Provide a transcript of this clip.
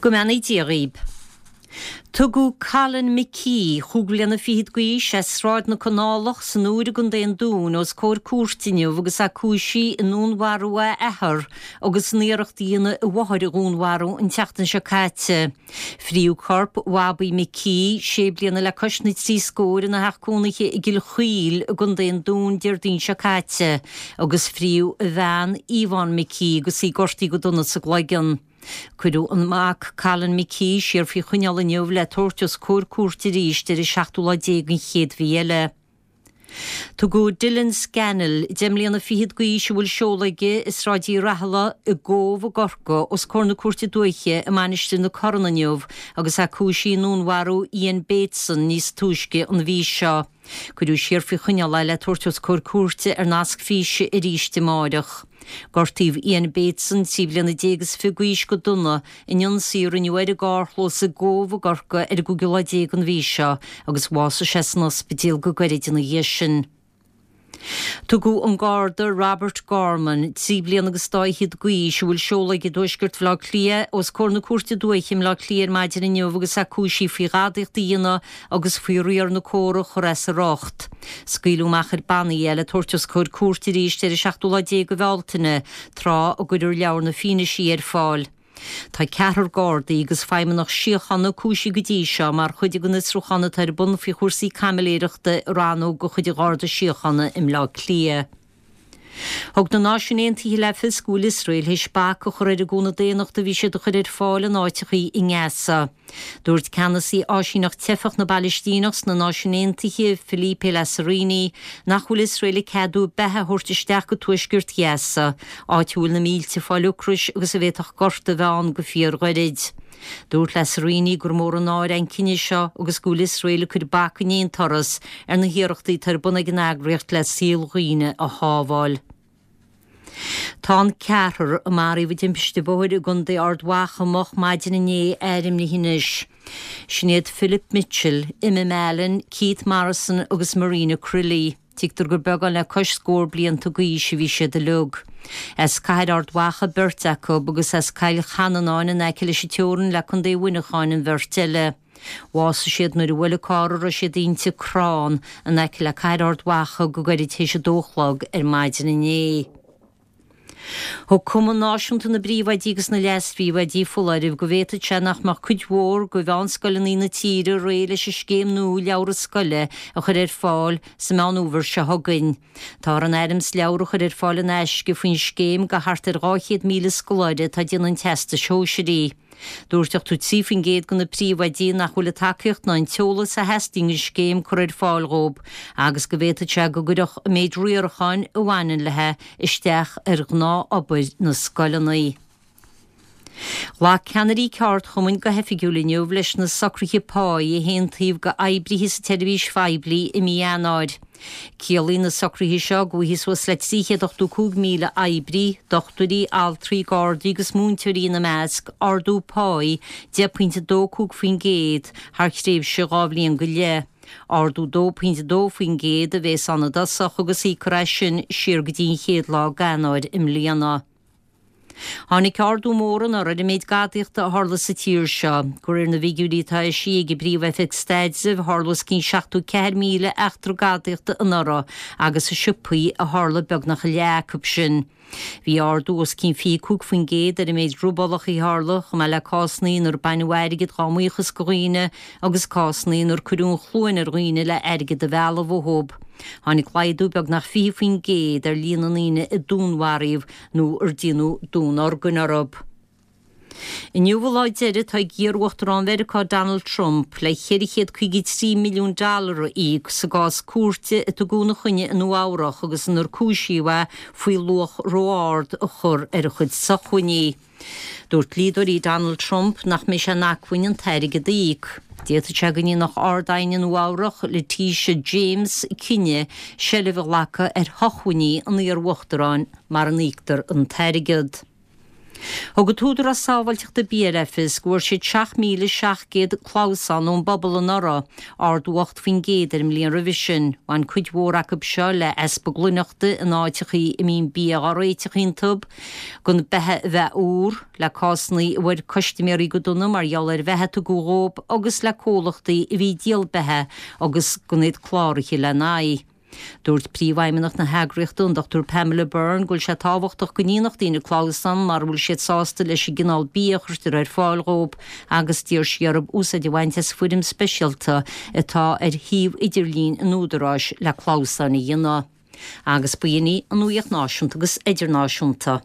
Go mbeannaí Dia dhaoib. Tugadh Colin McKee, chúig bhliana fichead d'aois, as Sráid na Canálach san Iúr i gContae an Dúin, os comhair cúirte inniu agus é cúisithe i ndúnmharú a athar agus in iarracht a dhéanamh a mháthair a dhúnmharú an tseachtain seo caite. Fríodh corp Bhobby McKee, sé bliana le cois na dtrí scór, ina theach cónaithe i gCill Chaoil i gContae an Dúin Déardaoin seo caite agus fríodh a bhean, Yvonne McKee, agus í gortaithe go dona sa gcloigeann. Cuireadh an mac, Colin McKee, siar faoi choinneáil inniu le tabhairt os comhair cúirte arís ar an seachtú lá déag den chéad mhí eile. Tugadh Dylan Scannell, 10 mbliana fichead d'aois a bhfuil seoladh aige i Sráid Uí Rathaille i gCóbh i gCorcaigh, os comhair na Cúirte Dúiche i Mainistir na Corann inniu agus é cúisithe i ndúnmharú Ian Bateson níos túisce an mhí seo. Cuireadh siar faoi choinneáil é le tabhairt os comhair cúirte ar nasc físe arís amáireach. Gortaíodh Ian Bateson, 13 bliana is 20 d'aois, go dona in ionsaí a rinneadh air i gcarrchlós i gCóbh i gCorcaigh ar an gcúigiú lá déag den mhí seo agus bhásaigh sé san ospidéal go gairid ina dhiaidh sin. Tugadh an Garda Robert Gorman, 3 bliana agus dá fhichead d'aois, a bhfuil seoladh aige i dtuaisceart Bhaile Átha Cliath, os comhair na Cúirte Dúiche i mBleá Cliath ar maidin inniu agus é cúisithe faoi ghadaíocht a dhéanamh agus faoi riar na córa a chur as a riocht. Scaoileadh amach ar bannaí é le tabhairt os comhair cúirte arís ar an seachtú lá déag de Bhealtaine, tráth a gcuirfear leabhar na fianaisí ar fáil. Tá ceathrar Gardaí agus feidhmeannach síochána cúisithe go dtí seo mar chuid den fhiosrúchán atá ar bun faoi chúrsaí caimiléireachta i rannóg de chuid an Gharda Síochána i mBleá Cliath. Thug na Náisiúin Aontaithe le fios go bhfuil Iosrael théis bac a chur ar an gcúnamh daonnachta a bhí siad a chur ar fáil in áiteachaí i nGaza. Dúirt ceannasaí Áisíneacht Teifeach na bPalaistíneach sna Náisiúin Aontaithe, Philippe Lazzarini, nach bhfuil Iosrael ag ceadú beatha a thabhairt isteach go tuaisceart Ghaza, áit a bhfuil na mílte ag fáil ocrais agus a bhféadfadh gorta a bheith ann go fíorghairid. Dúirt Lazzarini gur mór an náire an cinneadh seo agus go bhfuil Iosrael ag cur bac in aon turas ar na hiarrachtaí atá ar bun ag an eagraíocht le saol dhaoine a shábháil. Tá an ceathrar a maraíodh i dtimpiste bhóthair i gContae Ard Mhacha moch maidin inné ainmnithe anois. Sin iad Philip Mitchell, Emma Mallon, Keith Morrison agus Marina Crilly. Tuigtear gur beagán le cois scór blianta d'aois a bhí siad uilig. As Cathair Ard Mhacha beirt acu agus as Cill Chanannáin in aice leis an teorainn le Contae Mhuineacháin an bheirt eile. Bhásaigh siad nuair a bhuail an carr a raibh siad inti crann in aice le Cathair Ard Mhacha go gairid théis a dó a chlog ar maidin inné. Thug Cumann Náisiúnta na bPríomhoidí agus na Leas-Phríomhoidí foláireamh go bhféadfadh sé nach mbeadh cuid mhór de mheánscoileanna na tíre réidh leis an scéim nua leabhra scoile a chur ar fáil sa Meán Fhómhair seo chugainn. Táthar in ainm is leabhair a chur ar fáil in aisce faoin scéim do thart ar 200,000 scoláire atá ag déanamh an Teastais Shóisearaigh. Dúirt 83% de na príomhoidí nach bhfuil an tacaíocht ná an t-eolas a theastaíonn don scéim curtha ar fáil dhóibh agus go bhféadfadh sé go gcuirfeadh an méid riaracháin a bhaineann léi isteach ar ghnáthobair na scoileanna. Ghlac ceannairí ceardchumainn go hoifigiúil inniu leis na socruithe páí a haontaíodh d'oibrithe sa tseirbhís phoiblí i mí Eanáir. Ciallaíonn na socruithe seo go bhfaighidh suas le 385,000 oibrí, dochtúirí, altraí, gardaí agus múinteoirí ina measc, ardú páí 10.25% thar thréimhse dhá bhliain go leith. Ardú 2.2% a bhéas ann i dtosach agus íocfar é sin siar go dtí an chéad lá d'Eanáir i mbliana. Tháinig ardú mór anuraidh ar an méid gadaíochta a tharla sa tír seo. De réir na bhfigiúirí atá eisithe ag an bPríomh-Oifig Staidrimh, tharla os cionn 74,000 eachtra gadaíochta anuraidh agus i siopaí a tharla beagnach a leath acu sin. Bhí ardú os cionn 25% ar an méid robálacha a tharla, chomh maith le cásanna inar baineadh airgead dá mbuíochas de dhaoine agus cásanna inar cuireadh an chluain ar dhaoine le airgead a mhealladh uathu. Tháinig laghdú beagnach 20% ar líon na ndaoine a dúnmharaíodh nó ar déanadh dúnorgain orthu. Inniu an lá deiridh atá ag iar-uachtarán Mheiriceá Donald Trump le 453 milliún dollar a íoc sa gcás cúirte a tugadh ina choinne i Nua Eabhrach agus inar cúisíodh é faoi luach ró-ard a chur ar a chuid socmhainní. Dúirt dlíodóirí Donald Trump nach mbeidh sé in acmhainn an t-airgead a íoc. D'fhéadfadh sé go ndéanfadh Ard-Aighne Nua Eabhrach, Letitia James, cinneadh seilbh a ghlacadh ar shocmhainní an iar-uachtaráin mara n-íoctar an t-airgead. Thug an tÚdarás Sábháilteachta Bia le fios go bhfuair siad 7,700 clamhsán ón bpobal anuraidh, ardú 8% ar an mbliain roimhe sin. Bhain cuid mhór acu seo le easpa glaineachta in áiteachaí a mbíonn bia á réiteach iontu, gan beatha a bheith úr, le cásanna a bhfuair custaiméirí go dona mar gheall ar bheatha a tugadh dhóibh agus le comhlachtaí a bhí ag díol beatha agus gan iad cláraithe lena n-aghaidh. Dúirt Príomhfheidhmeannach na heagraíochta, an Dr Pamela Byrne, go bhfuil sé tábhachtach go ndéanfadh daoine clamhsán mara bhfuil siad sásta leis an gcineál bia a chuirtear ar fáil dhóibh agus d'iarr sí orthu úsáid a bhaint as foirm speisialta atá ar shuíomh idirlín an Údaráis le clamhsáin a dhéanamh. Agus b'in í an nuaíocht náisiúnta agus idirnáisiúnta.